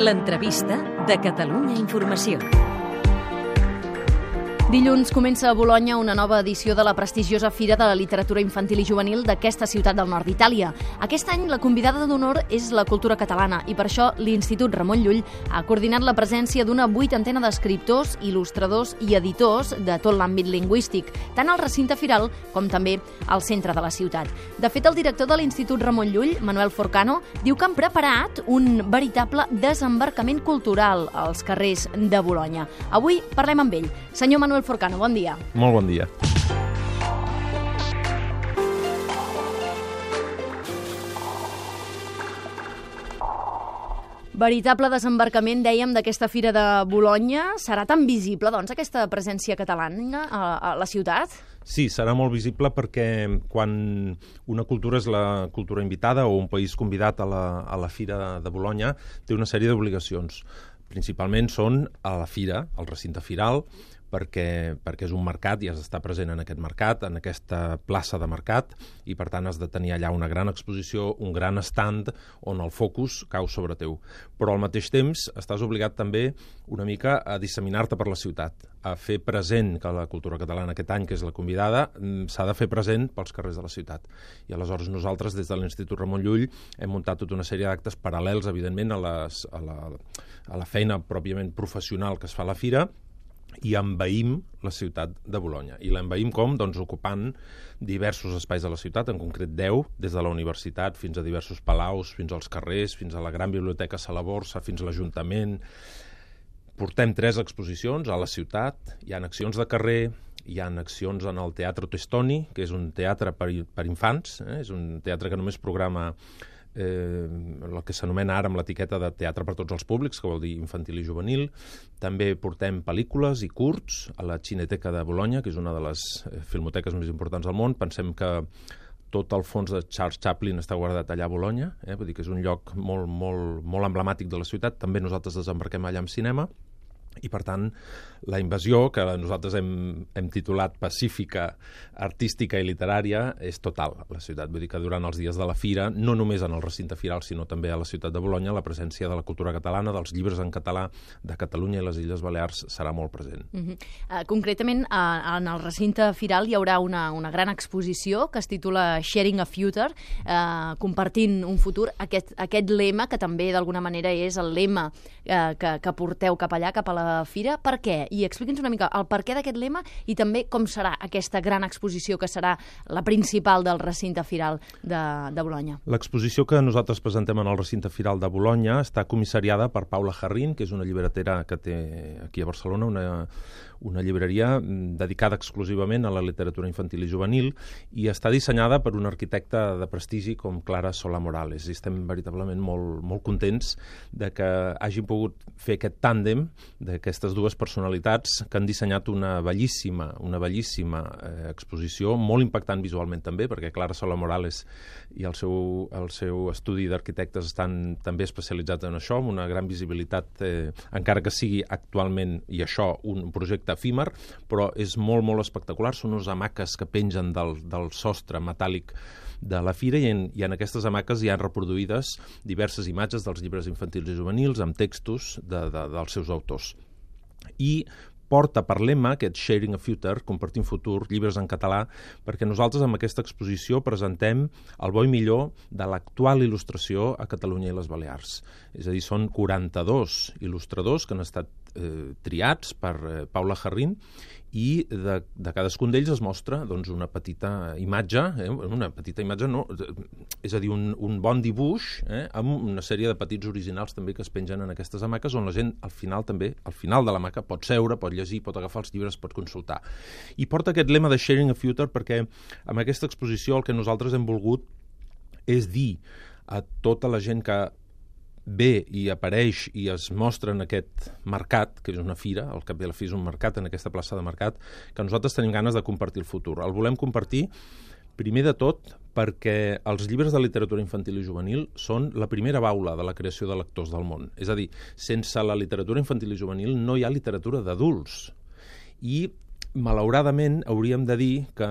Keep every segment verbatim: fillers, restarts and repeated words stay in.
L'entrevista de Catalunya Informació. Dilluns comença a Bolonya una nova edició de la prestigiosa Fira de la Literatura Infantil i Juvenil d'aquesta ciutat del nord d'Itàlia. Aquest any la convidada d'honor és la cultura catalana i per això l'Institut Ramon Llull ha coordinat la presència d'una vuitantena d'escriptors, il·lustradors i editors de tot l'àmbit lingüístic, tant al recinte firal com també al centre de la ciutat. De fet, el director de l'Institut Ramon Llull, Manuel Forcano, diu que han preparat un veritable desembarcament cultural als carrers de Bolonya. Avui parlem amb ell. Senyor Manuel Forcano, bon dia. Molt bon dia. Veritable desembarcament, dèiem, d'aquesta Fira de Bolonya. Serà tan visible, doncs, aquesta presència catalana a, a la ciutat? Sí, serà molt visible perquè quan una cultura és la cultura invitada o un país convidat a la, a la Fira de Bolonya, té una sèrie d'obligacions. Principalment són a la fira, al recinte firal, perquè, perquè és un mercat i has d'estar present en aquest mercat, en aquesta plaça de mercat, i per tant has de tenir allà una gran exposició, un gran stand on el focus cau sobre teu. Però al mateix temps estàs obligat també una mica a disseminar-te per la ciutat, a fer present que la cultura catalana aquest any, que és la convidada, s'ha de fer present pels carrers de la ciutat. I aleshores nosaltres, des de l'Institut Ramon Llull, hem muntat tota una sèrie d'actes paral·lels, evidentment, a, les, a, la, a la feina pròpiament professional que es fa a la fira, i envaïm la ciutat de Bolonya. I l'envaïm com? Doncs ocupant diversos espais de la ciutat, en concret deu, des de la universitat fins a diversos palaus, fins als carrers, fins a la gran biblioteca Sala Borsa, fins a l'Ajuntament. Portem tres exposicions a la ciutat, hi ha accions de carrer, hi ha accions en el Teatro Testoni, que és un teatre per, per infants, eh? És un teatre que només programa Eh, el que s'anomena ara amb l'etiqueta de teatre per tots els públics, que vol dir infantil i juvenil. També portem pel·lícules i curts a la Cineteca de Bolonya, que és una de les filmoteques més importants del món. Pensem que tot el fons de Charles Chaplin està guardat allà a Bolonya, eh? Vull dir que és un lloc molt, molt, molt emblemàtic de la ciutat. També nosaltres desembarquem allà amb cinema. I, per tant, la invasió, que nosaltres hem, hem titulat pacífica, artística i literària, és total a la ciutat. Vull dir que durant els dies de la fira, no només en el recinte firal, sinó també a la ciutat de Bolonya, la presència de la cultura catalana, dels llibres en català de Catalunya i les Illes Balears serà molt present. Uh-huh. uh, concretament, uh, en el recinte firal hi haurà una, una gran exposició que es titula Sharing a Future, uh, compartint un futur. Aquest, aquest lema, que també d'alguna manera és el lema uh, que, que porteu cap allà, cap a la fira. Per què? I expliqui'ns una mica el per què d'aquest lema i també com serà aquesta gran exposició que serà la principal del recinte firal de, de Bolonya. L'exposició que nosaltres presentem en el recinte firal de Bolonya està comissariada per Paula Jarrín, que és una llibretera que té aquí a Barcelona, una, una llibreria dedicada exclusivament a la literatura infantil i juvenil, i està dissenyada per un arquitecte de prestigi com Clara Solà Morales. I estem veritablement molt, molt contents de que hagin pogut fer aquest tàndem d'aquestes dues personalitats que han dissenyat una bellíssima, una bellíssima eh, exposició, molt impactant visualment també, perquè Clara Solà Morales i el seu, el seu estudi d'arquitectes estan també especialitzats en això, amb una gran visibilitat, eh, encara que sigui actualment, i això, un projecte efímer, però és molt, molt espectacular. Són unes hamaques que pengen del, del sostre metàl·lic de la fira, i en, i en aquestes hamaques hi ha reproduïdes diverses imatges dels llibres infantils i juvenils amb textos de, de, dels seus autors. I porta per lema aquest Sharing a Future, compartint futur, llibres en català, perquè nosaltres amb aquesta exposició presentem el bo i millor de l'actual il·lustració a Catalunya i les Balears. És a dir, són quaranta-dos il·lustradors que han estat eh, triats per eh, Paula Jarrín, i de, de cadascun d'ells es mostra doncs, una petita imatge, eh, una petita imatge, no, és a dir, un, un bon dibuix, eh, amb una sèrie de petits originals també que es pengen en aquestes hamaques, on la gent al final també, al final de l'hamaca, pot seure, pot llegir, pot agafar els llibres, pot consultar. I porta aquest lema de Sharing a Future perquè amb aquesta exposició el que nosaltres hem volgut és dir a tota la gent que ve i apareix i es mostra en aquest mercat, que és una fira, al cap i a la fi és un mercat, en aquesta plaça de mercat, que nosaltres tenim ganes de compartir el futur. El volem compartir, primer de tot, perquè els llibres de literatura infantil i juvenil són la primera baula de la creació de lectors del món. És a dir, sense la literatura infantil i juvenil no hi ha literatura d'adults. I malauradament, hauríem de dir que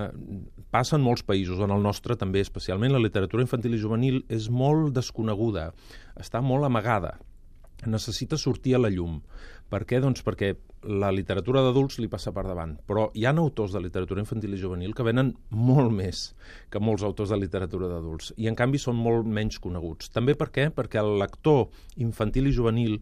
passa en molts països, en el nostre també especialment, la literatura infantil i juvenil és molt desconeguda, està molt amagada. necessita sortir a la llum. Per què? Doncs perquè la literatura d'adults li passa per davant, però hi ha autors de literatura infantil i juvenil que venen molt més que molts autors de literatura d'adults i en canvi són molt menys coneguts. També per què? Perquè el lector infantil i juvenil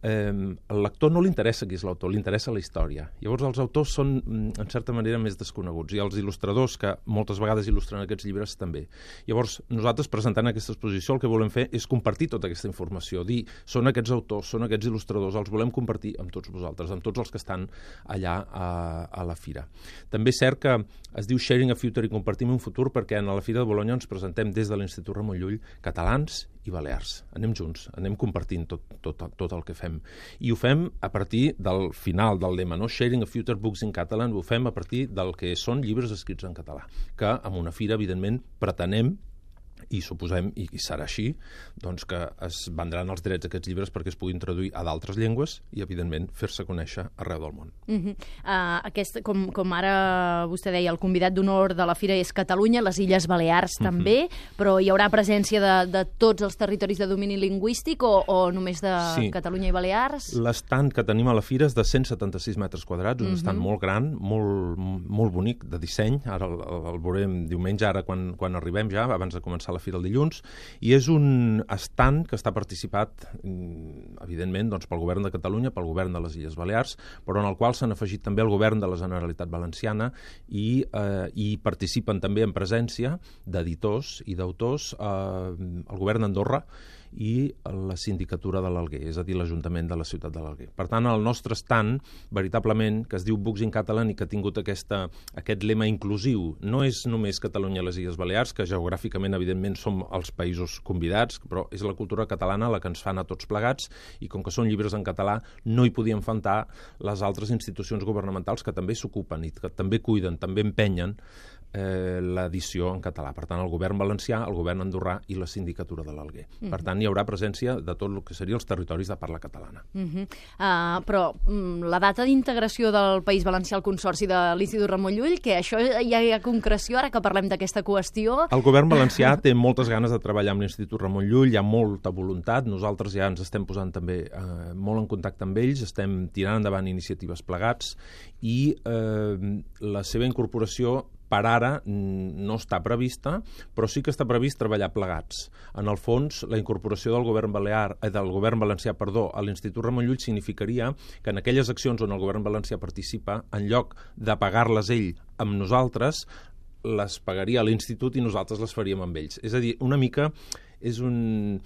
Eh, el lector no li interessa qui és l'autor, li interessa la història. Llavors els autors són, en certa manera, més desconeguts i els il·lustradors, que moltes vegades il·lustren aquests llibres, també. Llavors, nosaltres, presentant aquesta exposició, el que volem fer és compartir tota aquesta informació, dir, són aquests autors, són aquests il·lustradors, els volem compartir amb tots vosaltres, amb tots els que estan allà a, a la fira. També és cert que es diu Sharing a Future i compartim un futur perquè en la Fira de Bolonya ens presentem des de l'Institut Ramon Llull catalans i balears. Anem junts, anem compartint tot, tot, tot el que fem. I ho fem a partir del final del lema, no? Sharing a Future Books in Catalan, ho fem a partir del que són llibres escrits en català, que amb una fira, evidentment, pretenem i suposem, i serà així, doncs que es vendran els drets d'aquests llibres perquè es puguin traduir a d'altres llengües i, evidentment, fer-se conèixer arreu del món. Uh -huh. uh, aquest, com, com ara vostè deia, el convidat d'honor de la fira és Catalunya, les Illes Balears també, uh -huh. però hi haurà presència de, de tots els territoris de domini lingüístic o, o només de sí. Catalunya i Balears? L'estant que tenim a la fira és de cent setanta-sis metres quadrats, un uh -huh. estand molt gran, molt, molt bonic, de disseny. Ara el, el veurem diumenge, ara quan, quan arribem ja, abans de començar la fira el dilluns, i és un estand que està participat, evidentment, doncs, pel govern de Catalunya, pel govern de les Illes Balears, però en el qual s'han afegit també el govern de la Generalitat Valenciana i, eh, i participen també en presència d'editors i d'autors eh, el govern d'Andorra i la sindicatura de l'Alguer, és a dir, l'Ajuntament de la ciutat de l'Alguer. Per tant, el nostre stand, veritablement, que es diu Books in Catalan i que ha tingut aquesta, aquest lema inclusiu, no és només Catalunya i les Illes Balears, que geogràficament, evidentment, som els països convidats, però és la cultura catalana la que ens fa anar tots plegats i com que són llibres en català, no hi podien faltar les altres institucions governamentals que també s'ocupen i que també cuiden, també empenyen eh, l'edició en català. Per tant, el govern valencià, el govern andorrà i la sindicatura de l'Alguer. Mm-hmm. Per tant, hi haurà presència de tot el que serien els territoris de parla catalana. Mm-hmm. uh, però mm, la data d'integració del País Valencià al Consorci de l'Institut Ramon Llull, que això ja hi ha concreció, ara que parlem d'aquesta qüestió? El govern valencià té moltes ganes de treballar amb l'Institut Ramon Llull, hi ha molta voluntat, nosaltres ja ens estem posant també eh, molt en contacte amb ells, estem tirant endavant iniciatives plegats i eh, la seva incorporació per ara no està prevista, però sí que està previst treballar plegats. En el fons, la incorporació del govern balear, eh, del govern valencià perdó, a l'Institut Ramon Llull significaria que en aquelles accions on el govern valencià participa, en lloc de pagar-les ell amb nosaltres, les pagaria a l'Institut i nosaltres les faríem amb ells. És a dir, una mica és un...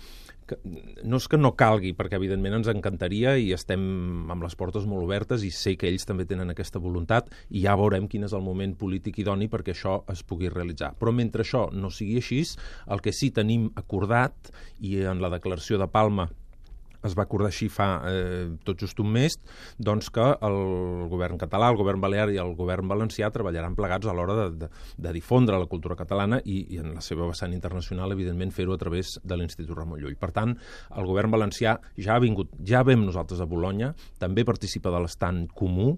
No és que no calgui, perquè evidentment ens encantaria i estem amb les portes molt obertes i sé que ells també tenen aquesta voluntat i ja veurem quin és el moment polític idoni perquè això es pugui realitzar. Però mentre això no sigui així, el que sí tenim acordat, i en la declaració de Palma es va acordar així fa eh, tot just un mes, doncs que el govern català, el govern balear i el govern valencià treballaran plegats a l'hora de, de, de difondre la cultura catalana i, i en la seva vessant internacional, evidentment, fer-ho a través de l'Institut Ramon Llull. Per tant, el govern valencià ja ha vingut, ja vam nosaltres a Bolonya, també participa de l'estand comú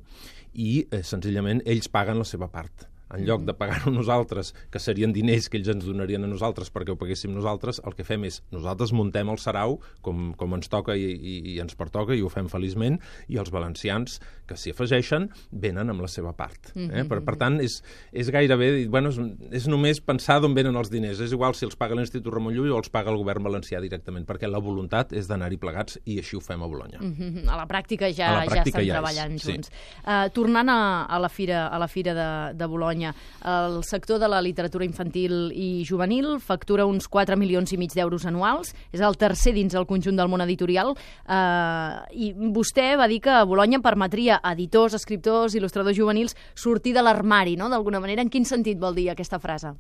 i eh, senzillament ells paguen la seva part. En lloc de pagar-ho nosaltres, que serien diners que ells ens donarien a nosaltres perquè ho paguéssim nosaltres, el que fem és nosaltres muntem el sarau com, com ens toca i, i, i ens pertoca i ho fem feliçment, i els valencians que s'hi afegeixen venen amb la seva part. Eh? Per, per tant, és, és gairebé, bueno, és, és només pensar d'on venen els diners. És igual si els paga l'Institut Ramon Llull o els paga el govern valencià directament, perquè la voluntat és d'anar-hi plegats i així ho fem a Bolonya. Mm-hmm. A la pràctica ja, la pràctica ja estan ja treballant és, junts. Sí. Uh, tornant a, a la fira, a la fira de, de Bolonya, el sector de la literatura infantil i juvenil factura uns quatre milions i mig d'euros anuals, és el tercer dins el conjunt del món editorial, eh, i vostè va dir que Bolonya permetria a editors, escriptors, il·lustradors juvenils sortir de l'armari, no?, d'alguna manera. En quin sentit vol dir aquesta frase?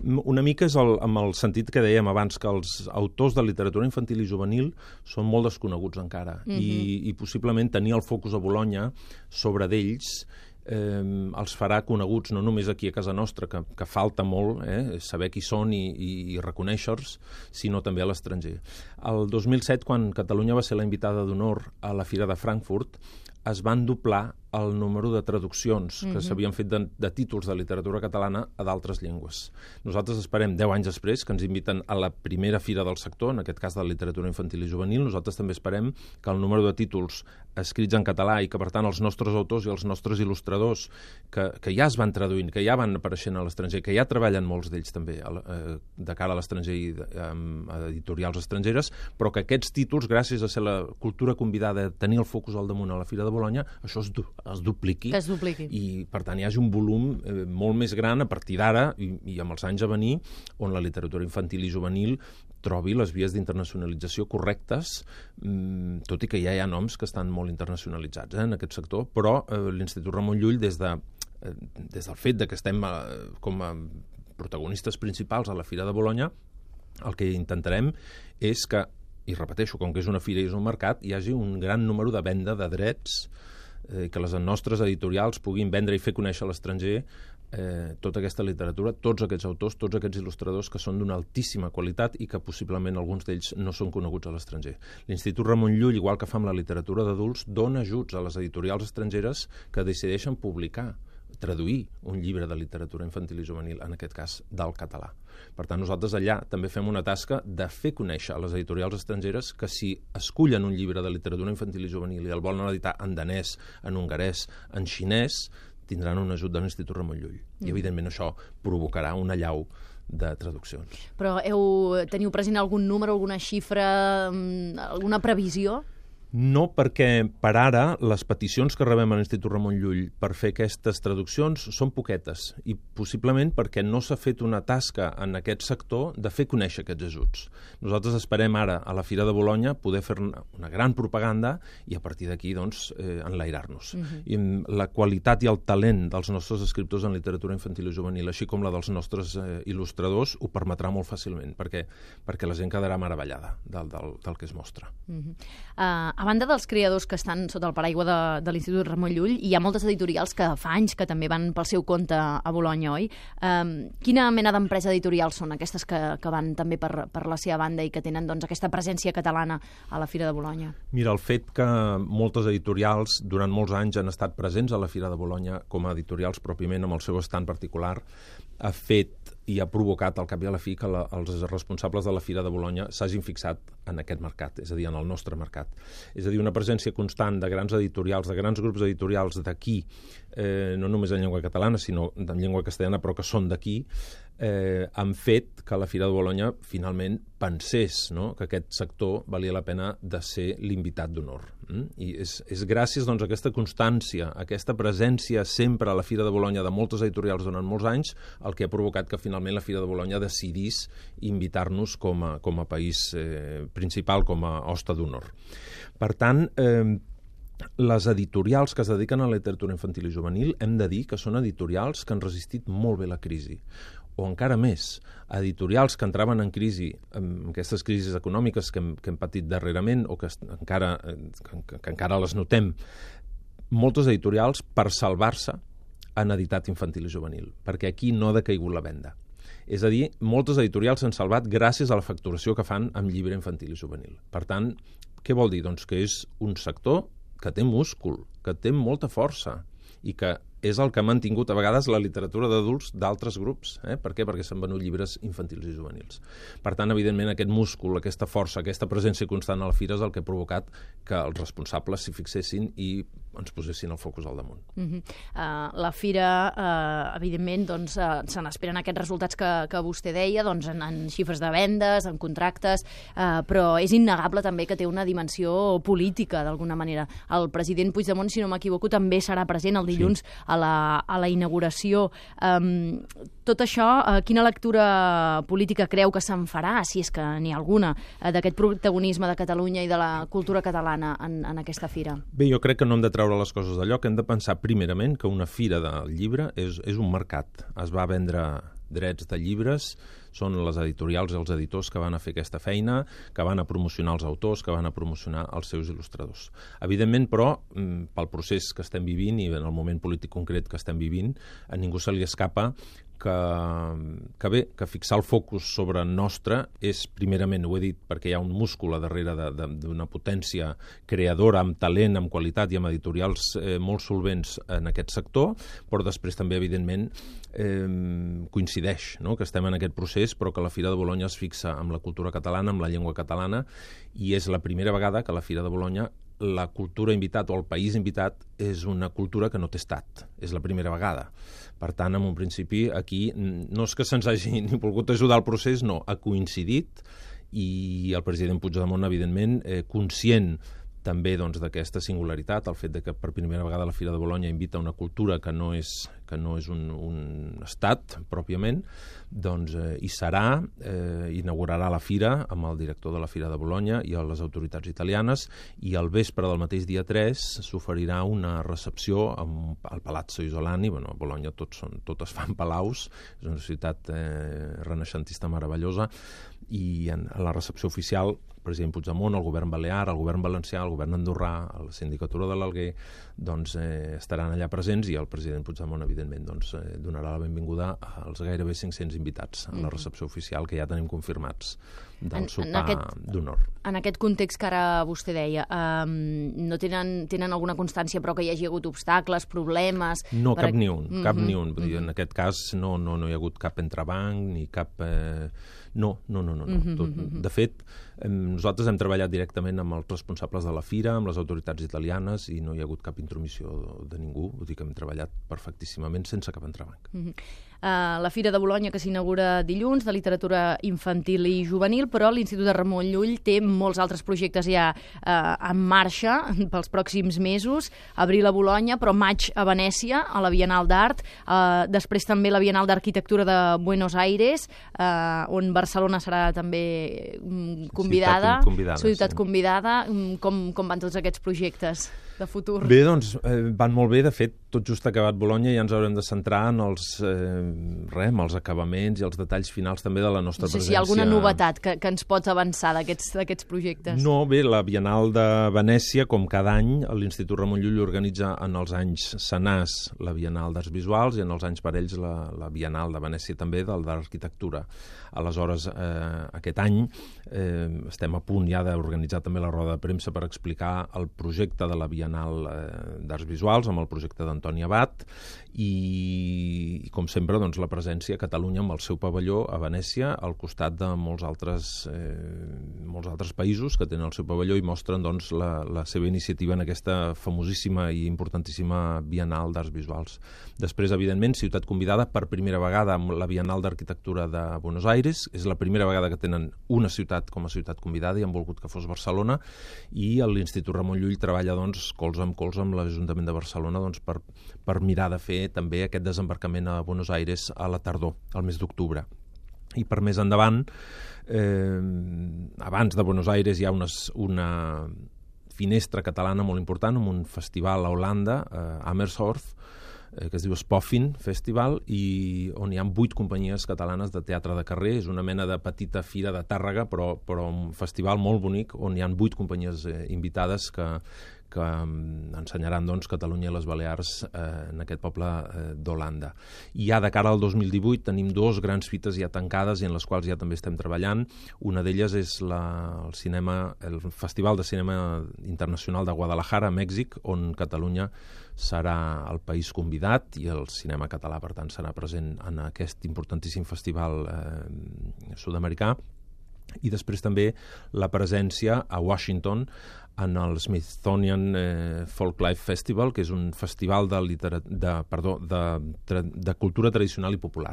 Una mica és el, amb el sentit que dèiem abans, que els autors de literatura infantil i juvenil són molt desconeguts encara, mm-hmm. i, i possiblement tenir el focus a Bolonya sobre d'ells Eh, els farà coneguts no només aquí a casa nostra, que, que falta molt eh, saber qui són i, i, i reconèixer-los, sinó també a l'estranger. El dos mil set, quan Catalunya va ser la invitada d'honor a la Fira de Frankfurt, es van doblar el número de traduccions que mm-hmm. s'havien fet de, de títols de literatura catalana a d'altres llengües. Nosaltres esperem deu anys després, que ens inviten a la primera fira del sector, en aquest cas de la literatura infantil i juvenil. Nosaltres també esperem que el número de títols escrits en català i que, per tant, els nostres autors i els nostres il·lustradors que, que ja es van traduint, que ja van apareixent a l'estranger, que ja treballen molts d'ells també eh, de cara a l'estranger i amb editorials estrangeres, però que aquests títols, gràcies a ser la cultura convidada, a tenir el focus al damunt a la Fira de Bolonya, això es, du es dupliqui. Que es dupliqui. I, per tant, hi hagi un volum eh, molt més gran a partir d'ara i, i amb els anys a venir, on la literatura infantil i juvenil trobi les vies d'internacionalització correctes, mmm, tot i que ja hi ha noms que estan molt internacionalitzats eh, en aquest sector, però eh, l'Institut Ramon Llull, des, de, eh, des del fet de que estem eh, com a protagonistes principals a la Fira de Bolonya, el que intentarem és que, i repeteixo, com que és una fira i és un mercat, hi hagi un gran número de venda de drets, eh, que les nostres editorials puguin vendre i fer conèixer a l'estranger eh, tota aquesta literatura, tots aquests autors, tots aquests il·lustradors que són d'una altíssima qualitat i que possiblement alguns d'ells no són coneguts a l'estranger. L'Institut Ramon Llull, igual que fa amb la literatura d'adults, dona ajuts a les editorials estrangeres que decideixen publicar, traduir un llibre de literatura infantil i juvenil, en aquest cas del català. Per tant, nosaltres allà també fem una tasca de fer conèixer a les editorials estrangeres que si escullen un llibre de literatura infantil i juvenil i el volen editar en danès, en hongarès, en xinès, tindran un ajut de l'Institut Ramon Llull. Mm. I, evidentment, això provocarà una allau de traduccions. Però heu, teniu present algun número, alguna xifra, alguna previsió? No, perquè per ara les peticions que rebem a l'Institut Ramon Llull per fer aquestes traduccions són poquetes i possiblement perquè no s'ha fet una tasca en aquest sector de fer conèixer aquests ajuts. Nosaltres esperem ara a la Fira de Bolonya poder fer una gran propaganda i a partir d'aquí doncs, eh, enlairar-nos. Uh-huh. I la qualitat i el talent dels nostres escriptors en literatura infantil i juvenil, així com la dels nostres eh, il·lustradors, ho permetrà molt fàcilment, perquè, perquè la gent quedarà meravellada del, del, del que es mostra. Uh-huh. uh, A banda dels creadors que estan sota el paraigua de, de l'Institut Ramon Llull, hi ha moltes editorials que fa anys que també van pel seu compte a Bolonya, oi? Um, quina mena d'empresa editorials són aquestes que, que van també per, per la seva banda i que tenen doncs, aquesta presència catalana a la Fira de Bolonya? Mira, el fet que moltes editorials durant molts anys han estat presents a la Fira de Bolonya com a editorials pròpiament amb el seu estant particular ha fet i ha provocat al cap i a la fi que la, els responsables de la Fira de Bolonya s'hagin fixat en aquest mercat, és a dir, en el nostre mercat. És a dir, una presència constant de grans editorials, de grans grups editorials d'aquí, eh, no només en llengua catalana, sinó en llengua castellana, però que són d'aquí, eh, han fet que la Fira de Bolonya finalment pensés, no?, que aquest sector valia la pena de ser l'invitat d'honor. Mm? I és, és gràcies doncs, a aquesta constància, a aquesta presència sempre a la Fira de Bolonya de moltes editorials durant molts anys, el que ha provocat que finalment la Fira de Bolonya decidís invitar-nos com a, com a país eh, principal, com a hoste d'honor. Per tant, eh, les editorials que es dediquen a la literatura infantil i juvenil hem de dir que són editorials que han resistit molt bé la crisi, o encara més, editorials que entraven en crisi, amb aquestes crisis econòmiques que hem, que hem patit darrerament o que encara, que, que encara les notem, moltes editorials per salvar-se han editat infantil i juvenil, perquè aquí no ha decaigut la venda. És a dir, moltes editorials s'han salvat gràcies a la facturació que fan amb llibre infantil i juvenil. Per tant, què vol dir? Doncs que és un sector que té múscul, que té molta força i que és el que ha mantingut a vegades la literatura d'adults d'altres grups. Eh? Per què? Perquè s'han venut llibres infantils i juvenils. Per tant, evidentment, aquest múscul, aquesta força, aquesta presència constant a la fira és el que ha provocat que els responsables s'hi fixessin i ens posessin el focus al damunt. Uh -huh. uh, la fira, uh, evidentment, doncs, uh, se n'esperen aquests resultats que, que vostè deia, doncs, en, en xifres de vendes, en contractes, uh, però és innegable també que té una dimensió política, d'alguna manera. El president Puigdemont, si no m'equivoco, també serà present el dilluns sí. a la, a la inauguració. Um, tot això, uh, quina lectura política creu que se'n farà, si és que n'hi ha alguna, uh, d'aquest protagonisme de Catalunya i de la cultura catalana en, en aquesta fira? Bé, jo crec que no hem de treure les coses de lloc. Hem de pensar primerament que una fira del llibre és, és un mercat. Es va vendre drets de llibres, són les editorials i els editors que van a fer aquesta feina, que van a promocionar els autors, que van a promocionar els seus il·lustradors. Evidentment, però, pel procés que estem vivint i en el moment polític concret que estem vivint, a ningú se li escapa que, que bé, que fixar el focus sobre nostre és, primerament, ho he dit, perquè hi ha un múscul a darrere d'una potència creadora, amb talent, amb qualitat i amb editorials eh, molt solvents en aquest sector, però després també, evidentment, eh, coincideix, no?, que estem en aquest procés, però que la Fira de Bolonya es fixa amb la cultura catalana, amb la llengua catalana, i és la primera vegada que la Fira de Bolonya la cultura invitat o el país invitat és una cultura que no té estat. És la primera vegada. Per tant, en un principi, aquí no és que se'ns hagi ni volgut ajudar al procés, no, ha coincidit i el president Puigdemont, evidentment, eh, conscient també doncs, d'aquesta singularitat, el fet de que per primera vegada la Fira de Bolonya invita una cultura que no és, que no és un, un estat, pròpiament, doncs eh, hi serà, eh, inaugurarà la Fira amb el director de la Fira de Bolonya i les autoritats italianes, i al vespre del mateix dia tres s'oferirà una recepció amb el Palazzo Isolani. Bueno, a Bolonya tots, són, totes fan palaus, és una ciutat eh, renaixentista meravellosa, i en la recepció oficial el president Puigdemont, el govern balear, el govern valencià, el govern andorrà, la sindicatura de l'Alguer, doncs eh, estaran allà presents, i el president Puigdemont, evidentment, doncs, eh, donarà la benvinguda als gairebé cinc-cents invitats a la recepció oficial que ja tenim confirmats del sopar d'honor. En aquest context que ara vostè deia, eh, no tenen, tenen alguna constància, però que hi hagi hagut obstacles, problemes... No, per... cap ni un, cap mm-hmm. ni un. Vull dir, en aquest cas no, no, no hi ha hagut cap entrebanc, ni cap... Eh... No, no, no, no. no. Mm-hmm. Tot, de fet, eh, nosaltres hem treballat directament amb els responsables de la Fira, amb les autoritats italianes, i no hi ha hagut cap intromissió de, de ningú. Vull dir que hem treballat perfectíssimament sense cap entrebanc. Mm-hmm. Uh, la Fira de Bolonya, que s'inaugura dilluns, de literatura infantil i juvenil, però l'Institut de Ramon Llull té molts altres projectes ja uh, en marxa pels pròxims mesos. Abril a Bolonya, però maig a Venècia, a la Bienal d'Art, uh, després també la Bienal d'Arquitectura de Buenos Aires, uh, on Barcelona serà també um, convidada, ciutat convidada, ciutat sí. convidada. Um, com, com van tots aquests projectes de futur? Bé, doncs, eh, van molt bé. De fet, tot just acabat Bolonya ja ens haurem de centrar en els, eh, res, en els acabaments i els detalls finals també de la nostra no sé presència. Si hi ha alguna novetat que, que ens pots avançar d'aquests projectes. No, bé, la Bienal de Venècia, com cada any, l'Institut Ramon Llull organitza en els anys senars la Bienal d'Arts Visuals i en els anys parells la, la Bienal de Venècia també, del d'Arquitectura. Aleshores, eh, aquest any eh, estem a punt ja d'organitzar també la roda de premsa per explicar el projecte de la Bienal eh, d'Arts Visuals amb el projecte d'Antoni Abad, i, i com sempre, doncs, la presència a Catalunya amb el seu pavelló a Venècia, al costat de molts altres, eh, molts altres països que tenen el seu pavelló i mostren doncs, la, la seva iniciativa en aquesta famosíssima i importantíssima Bienal d'Arts Visuals. Després, evidentment, ciutat convidada per primera vegada amb la Bienal d'Arquitectura de Buenos Aires. És la primera vegada que tenen una ciutat com a ciutat convidada i han volgut que fos Barcelona, i l'Institut Ramon Llull treballa doncs, colze amb colze amb l'Ajuntament de Barcelona doncs, per, per mirar de fer també aquest desembarcament a Buenos Aires a la tardor, al mes d'octubre. I per més endavant, eh, abans de Buenos Aires hi ha unes, una finestra catalana molt important amb un festival a Holanda, eh, Amersfoort, eh, que es diu Spoffin Festival, i on hi ha vuit companyies catalanes de teatre de carrer. És una mena de petita fira de Tàrrega, però, però un festival molt bonic on hi ha vuit companyies eh, invitades que, que ensenyaran doncs, Catalunya i les Balears eh, en aquest poble eh, d'Holanda. I ja de cara al dos mil divuit tenim dos grans fites ja tancades i en les quals ja també estem treballant. Una d'elles és la, el, cinema, el Festival de Cinema Internacional de Guadalajara, a Mèxic, on Catalunya serà el país convidat i el cinema català, per tant, serà present en aquest importantíssim festival eh, sud-americà. I després també la presència a Washington en el Smithsonian eh, Folklife Festival, que és un festival de, litera... de, perdó, de, de, de cultura tradicional i popular.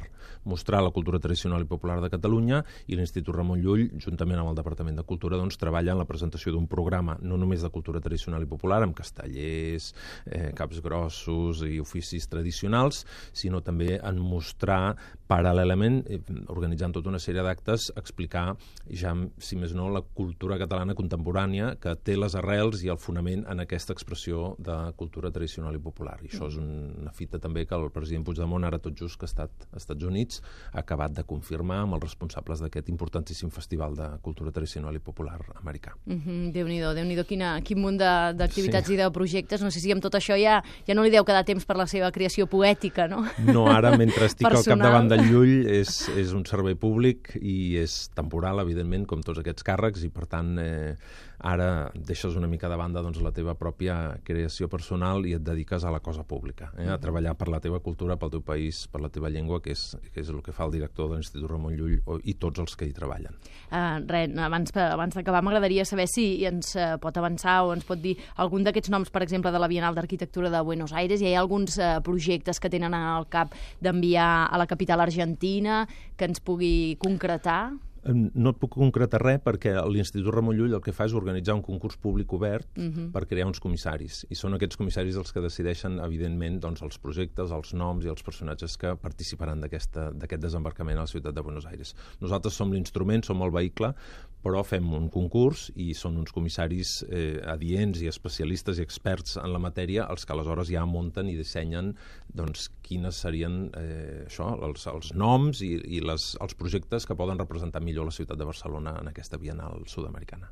Mostrar la cultura tradicional i popular de Catalunya, i l'Institut Ramon Llull, juntament amb el Departament de Cultura, doncs, treballa en la presentació d'un programa no només de cultura tradicional i popular, amb castellers, eh, caps grossos i oficis tradicionals, sinó també en mostrar paral·lelament, eh, organitzant tota una sèrie d'actes, explicar ja, si més no, la cultura catalana contemporània, que té les les arrels i el fonament en aquesta expressió de cultura tradicional i popular. I això és una fita també que el president Puigdemont, ara tot just que ha estat als Estats Units, ha acabat de confirmar amb els responsables d'aquest importantíssim festival de cultura tradicional i popular americà. Mm-hmm. Déu-n'hi-do, Déu-n'hi-do, quina, quin munt d'activitats sí. i de projectes. No sé si amb tot això ja, ja no li deu quedar temps per la seva creació poètica, no? No, ara, mentre estic al capdavant del Llull, és, és un servei públic i és temporal, evidentment, com tots aquests càrrecs, i per tant eh, ara deixes una mica de banda doncs, la teva pròpia creació personal i et dediques a la cosa pública, eh? a treballar per la teva cultura, pel teu país, per la teva llengua, que és, que és el que fa el director de l'Institut Ramon Llull i tots els que hi treballen. Uh, res, abans, abans d'acabar m'agradaria saber si ens uh, pot avançar o ens pot dir algun d'aquests noms, per exemple, de la Bienal d'Arquitectura de Buenos Aires. Hi ha alguns uh, projectes que tenen al cap d'enviar a la capital argentina que ens pugui concretar? No et puc concretar res perquè l'Institut Ramon Llull el que fa és organitzar un concurs públic obert uh-huh. per crear uns comissaris. I són aquests comissaris els que decideixen, evidentment, doncs, els projectes, els noms i els personatges que participaran d'aquest desembarcament a la ciutat de Buenos Aires. Nosaltres som l'instrument, som el vehicle, però fem un concurs i són uns comissaris eh, adients i especialistes i experts en la matèria els que aleshores ja munten i dissenyen doncs, quines serien eh, això, els, els noms i, i les, els projectes que poden representar millor la ciutat de Barcelona en aquesta Bienal sud-americana.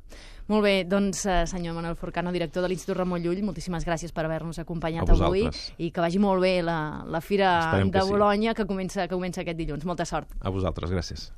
Molt bé, doncs senyor Manuel Forcano, director de l'Institut Ramon Llull, moltíssimes gràcies per haver-nos acompanyat avui i que vagi molt bé la, la Fira Esperem de Bolonya que, sí. que, comença, que comença aquest dilluns. Molta sort. A vosaltres, gràcies.